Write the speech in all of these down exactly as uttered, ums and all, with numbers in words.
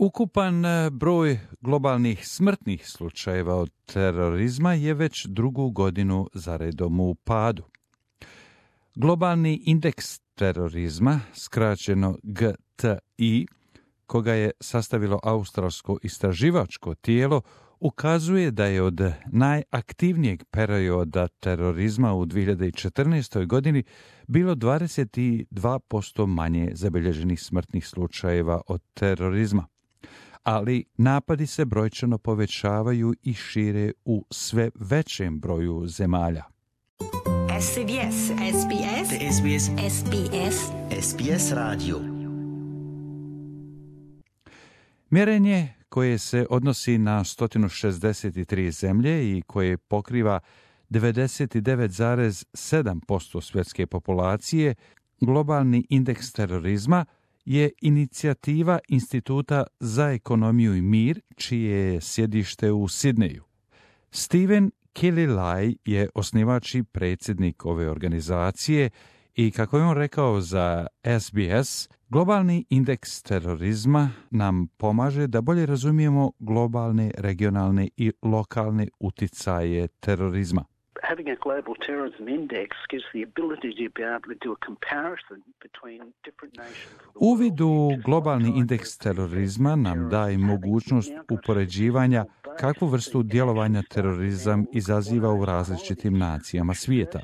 Ukupan broj globalnih smrtnih slučajeva od terorizma je već drugu godinu za redom u padu. Globalni indeks terorizma, skraćeno G T I, koga je sastavilo australsko istraživačko tijelo, ukazuje da je od najaktivnijeg perioda terorizma u dvije hiljade četrnaestoj. godini bilo dvadeset dva posto manje zabilježenih smrtnih slučajeva od terorizma. Ali napadi se brojčano povećavaju i šire u sve većem broju zemalja. S B S, S B S, S B S, S B S, S B S radio. Mjerenje koje se odnosi na sto šezdeset tri zemlje i koje pokriva devedeset devet zarez sedam posto svjetske populacije, globalni indeks terorizma je inicijativa Instituta za ekonomiju i mir, čije je sjedište u Sidneju. Steven Killelea je osnivač i predsjednik ove organizacije i, kako je on rekao za S B S, globalni indeks terorizma nam pomaže da bolje razumijemo globalne, regionalne i lokalne uticaje terorizma. Having a global terrorism index gives the ability to be able to do a comparison between different nations. Uvid u globalni indeks terorizma nam daje mogućnost upoređivanja kakvu vrstu djelovanja terorizam izaziva u različitim nacijama svijeta.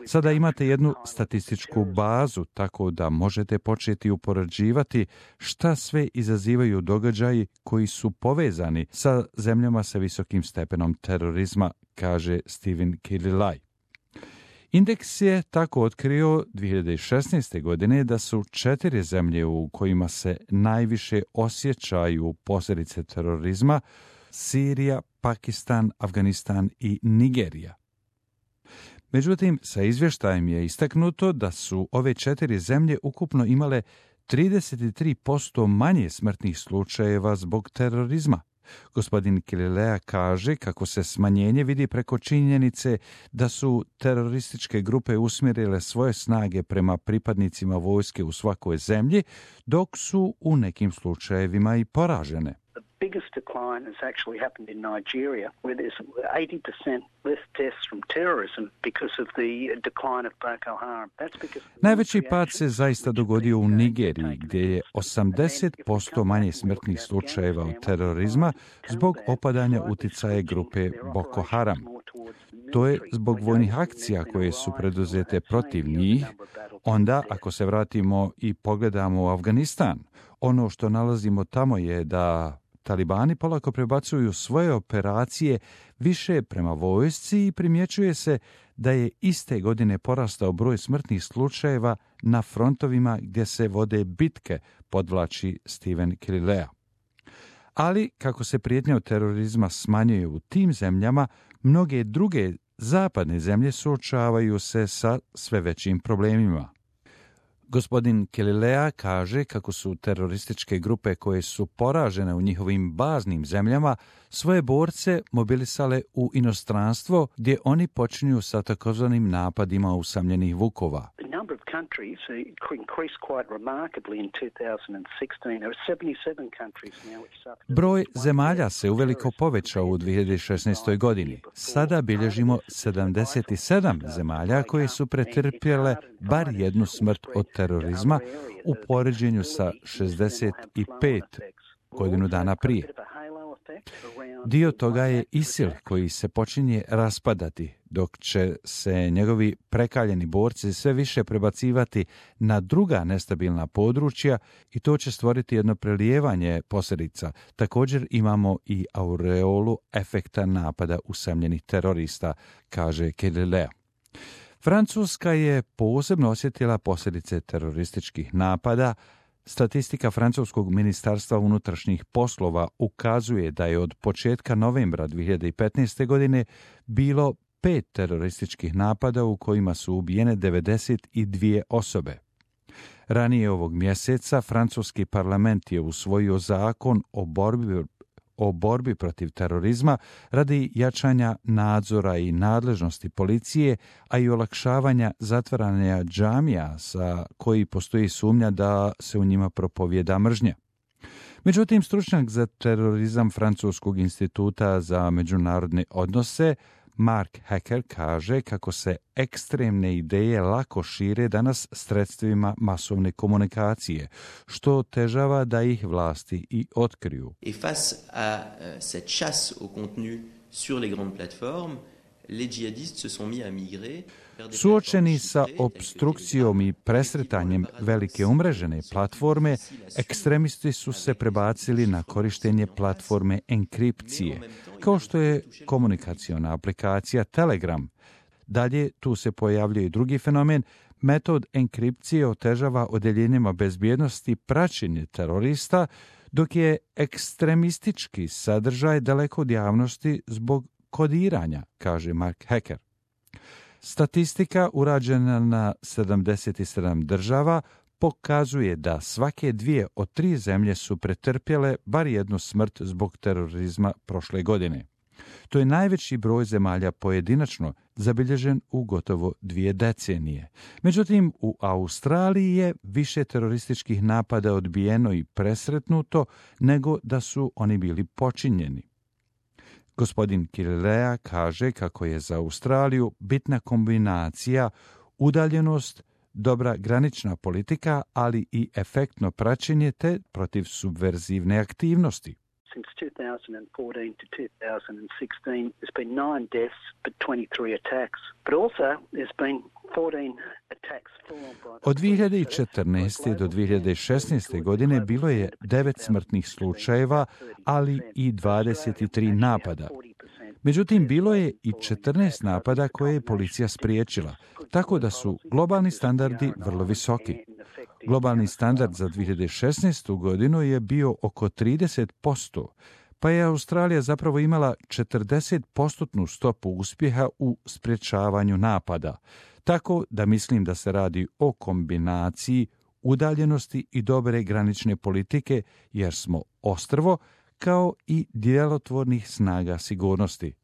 Sada imate jednu statističku bazu, tako da možete početi upoređivati šta sve izazivaju događaji koji su povezani sa zemljama sa visokim stepenom terorizma, kaže Steven Killelea. Indeks je tako otkrio dvije hiljade šesnaeste. godine da su četiri zemlje u kojima se najviše osjećaju posljedice terorizma: Sirija, Pakistan, Afganistan i Nigerija. Međutim, sa izvještajem je istaknuto da su ove četiri zemlje ukupno imale trideset tri posto manje smrtnih slučajeva zbog terorizma. Gospodin Killelea kaže kako se smanjenje vidi preko činjenice da su terorističke grupe usmjerile svoje snage prema pripadnicima vojske u svakoj zemlji, dok su u nekim slučajevima i poražene. The biggest decline has actually happened in Nigeria, where there's eighty percent less deaths from terrorism because of the decline of Boko Haram. That's because Najveći pad se zaista dogodio u Nigeriji, gdje je osamdeset posto manje smrtnih slučajeva od terorizma zbog opadanja uticaja grupe Boko Haram. To je zbog vojnih akcija koje su preduzete protiv njih. Onda, ako se vratimo i pogledamo u Afganistan, ono što nalazimo tamo je da Talibani polako prebacuju svoje operacije više prema vojsci i primjećuje se da je iste godine porastao broj smrtnih slučajeva na frontovima gdje se vode bitke, podvlači Steven Killelea. Ali, kako se prijetnja od terorizma smanjuje u tim zemljama, mnoge druge zapadne zemlje suočavaju se sa sve većim problemima. Gospodin Killelea kaže kako su terorističke grupe koje su poražene u njihovim baznim zemljama svoje borce mobilisale u inostranstvo, gdje oni počinju sa takozvanim napadima usamljenih vukova. the number of countries increased quite remarkably in two thousand sixteen. There are seventy-seven countries now which suffered. Broj zemalja se uveliko povećao u dvije hiljade šesnaestoj. godini. Sada bilježimo sedamdeset sedam zemalja koje su pretrpjele bar jednu smrt od terorizma u poređenju sa šezdeset pet godinu dana prije. Dio toga je ISIL koji se počinje raspadati, dok će se njegovi prekaljeni borci sve više prebacivati na druga nestabilna područja i to će stvoriti jedno prelijevanje posljedica. Također imamo i aureolu efekta napada usamljenih terorista, kaže Killelea. Francuska je posebno osjetila posljedice terorističkih napada. Statistika francuskog ministarstva unutrašnjih poslova ukazuje da je od početka novembra dvije hiljade petnaeste. godine bilo pet terorističkih napada u kojima su ubijene devedeset dvije osobe. Ranije ovog mjeseca francuski parlament je usvojio zakon o borbi o borbi protiv terorizma radi jačanja nadzora i nadležnosti policije, a i olakšavanja zatvaranja džamija sa koji postoji sumnja da se u njima propovijeda mržnja. Međutim, stručnjak za terorizam Francuskog instituta za međunarodne odnose Mark Hacker kaže kako se ekstremne ideje lako šire danas sredstvima masovne komunikacije, što otežava da ih vlasti i otkriju. Et face à cette chasse au contenu sur les grandes plateformes, les djihadistes se sont mis à migrer. Suočeni sa opstrukcijom i presretanjem velike umrežene platforme, ekstremisti su se prebacili na korištenje platforme enkripcije, kao što je komunikaciona aplikacija Telegram. Dalje, tu se pojavljuje i drugi fenomen. Metod enkripcije otežava odeljenjima bezbjednosti praćenje terorista, dok je ekstremistički sadržaj daleko od javnosti zbog kodiranja, kaže Mark Hacker. Statistika urađena na sedamdeset sedam država pokazuje da svake dvije od tri zemlje su pretrpjele bar jednu smrt zbog terorizma prošle godine. To je najveći broj zemalja pojedinačno, zabilježen u gotovo dvije decenije. Međutim, u Australiji je više terorističkih napada odbijeno i presretnuto nego da su oni bili počinjeni. Gospodin Kilrea kaže kako je za Australiju bitna kombinacija udaljenost, dobra granična politika, ali i efektno praćenje te protiv subverzivne aktivnosti. Since two thousand fourteen to two thousand sixteen, there's been nine deaths but twenty-three attacks. But also there's been fourteen attacks full on. Od dvije hiljade četrnaeste. do dvije hiljade šesnaeste. godine bilo je devet smrtnih slučajeva, ali i dvadeset tri napada. Međutim, bilo je i četrnaest napada koje je policija spriječila, tako da su globalni standardi vrlo visoki. Globalni standard za dvije hiljade šesnaestu. godinu je bio oko trideset posto, pa je Australija zapravo imala četrdeset posto stopu uspjeha u sprječavanju napada. Tako da mislim da se radi o kombinaciji udaljenosti i dobre granične politike, jer smo ostrvo, kao i djelotvornih snaga sigurnosti,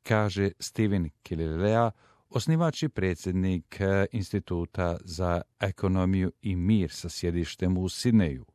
kaže Steven Kilrea, osnivač i predsjednik Instituta za ekonomiju i mir sa sjedištem u Sidneju.